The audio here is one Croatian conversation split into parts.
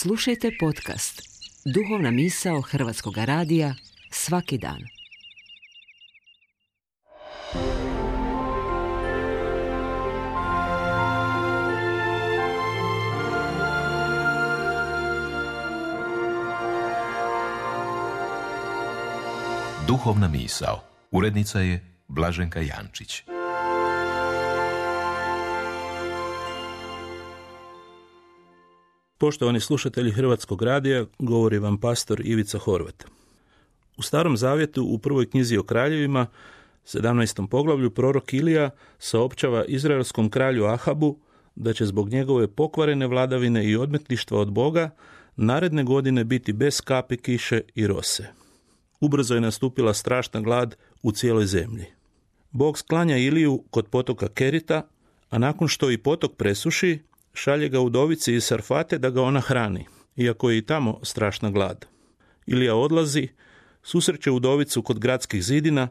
Slušajte podcast Duhovna misao Hrvatskog radija svaki dan. Duhovna misao. Urednica je Blaženka Jančić. Poštovani slušatelji Hrvatskog radija, govori vam pastor Ivica Horvat. U Starom zavjetu u prvoj knjizi o kraljevima, 17. poglavlju, prorok Ilija saopćava izraelskom kralju Ahabu da će zbog njegove pokvarene vladavine i odmetništva od Boga naredne godine biti bez kapi kiše i rose. Ubrzo je nastupila strašna glad u cijeloj zemlji. Bog sklanja Iliju kod potoka Kerita, a nakon što i potok presuši, šalje ga udovici iz Sarfate da ga ona hrani, iako je i tamo strašna glad. Ilija odlazi, susreće udovicu kod gradskih zidina,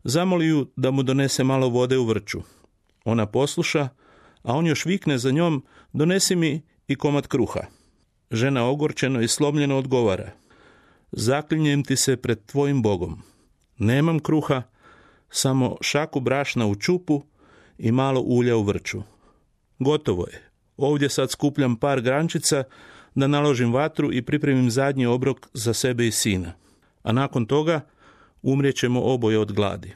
zamoli ju da mu donese malo vode u vrču. Ona posluša, a on još vikne za njom: donesi mi i komad kruha. Žena ogorčeno i slomljeno odgovara: zaklinjem ti se pred tvojim Bogom. Nemam kruha, samo šaku brašna u čupu i malo ulja u vrču. Gotovo je. Ovdje sad skupljam par grančica da naložim vatru i pripremim zadnji obrok za sebe i sina. A nakon toga umrijećemo oboje od gladi.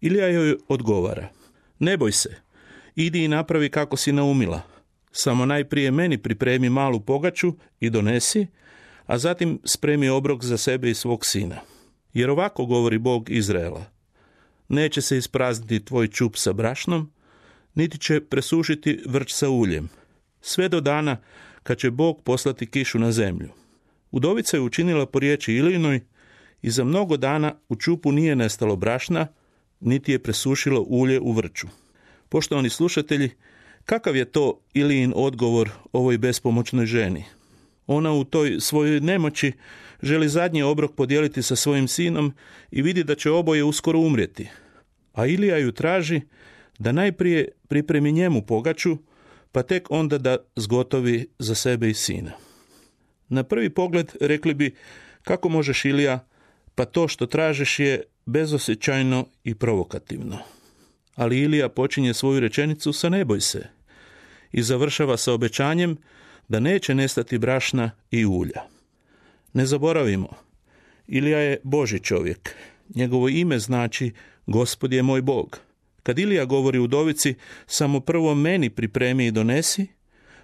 Ilija joj odgovara: ne boj se, idi i napravi kako si naumila. Samo najprije meni pripremi malu pogaču i donesi, a zatim spremi obrok za sebe i svog sina. Jer ovako govori Bog Izraela: neće se isprazniti tvoj čup sa brašnom, niti će presušiti vrč sa uljem, sve do dana kad će Bog poslati kišu na zemlju. Udovica je učinila po riječi Ilijinoj i za mnogo dana u čupu nije nestalo brašna, niti je presušilo ulje u vrču. Poštovani slušatelji, kakav je to Ilijin odgovor ovoj bespomoćnoj ženi? Ona u toj svojoj nemoći želi zadnji obrok podijeliti sa svojim sinom i vidi da će oboje uskoro umrijeti. A Ilija ju traži da najprije pripremi njemu pogaču, pa tek onda da zgotovi za sebe i sina. Na prvi pogled rekli bi: kako možeš, Ilija, pa to što tražiš je bezosjećajno i provokativno. Ali Ilija počinje svoju rečenicu sa ne boj se i završava sa obećanjem da neće nestati brašna i ulja. Ne zaboravimo, Ilija je Božji čovjek. Njegovo ime znači Gospod je moj Bog. Kad Ilija govori udovici: samo prvo meni pripremi i donesi,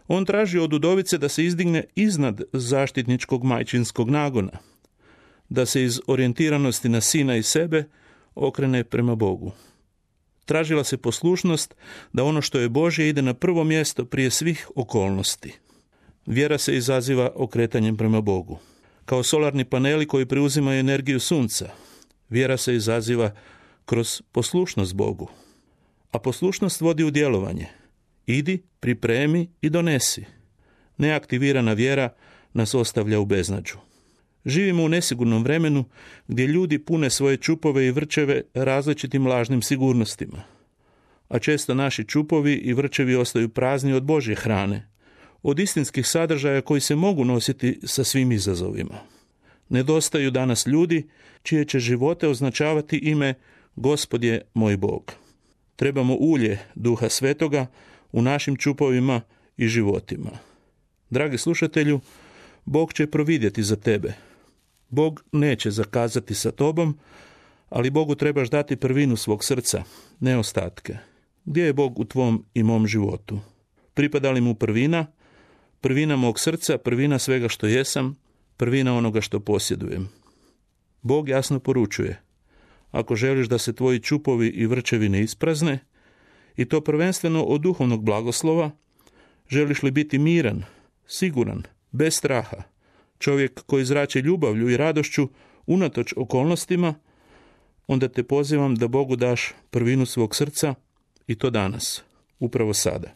on traži od udovice da se izdigne iznad zaštitničkog majčinskog nagona, da se iz orijentiranosti na sina i sebe okrene prema Bogu. Tražila se poslušnost da ono što je Božje ide na prvo mjesto prije svih okolnosti. Vjera se izaziva okretanjem prema Bogu. Kao solarni paneli koji preuzimaju energiju sunca, vjera se izaziva kroz poslušnost Bogu. A poslušnost vodi u djelovanje. Idi, pripremi i donesi. Neaktivirana vjera nas ostavlja u beznađu. Živimo u nesigurnom vremenu gdje ljudi pune svoje čupove i vrčeve različitim lažnim sigurnostima. A često naši čupovi i vrčevi ostaju prazni od Božje hrane, od istinskih sadržaja koji se mogu nositi sa svim izazovima. Nedostaju danas ljudi čije će živote označavati ime Gospod je moj Bog. Trebamo ulje Duha Svetoga u našim čupovima i životima. Dragi slušatelju, Bog će providjeti za tebe. Bog neće zakazati sa tobom, ali Bogu trebaš dati prvinu svog srca, ne ostatke. Gdje je Bog u tvom i mom životu? Pripada li mu prvina? Prvina mog srca, prvina svega što jesam, prvina onoga što posjedujem. Bog jasno poručuje: ako želiš da se tvoji čupovi i vrčevi ne isprazne, i to prvenstveno od duhovnog blagoslova, želiš li biti miran, siguran, bez straha, čovjek koji zrači ljubavlju i radošću unatoč okolnostima, onda te pozivam da Bogu daš prvinu svog srca, i to danas, upravo sada.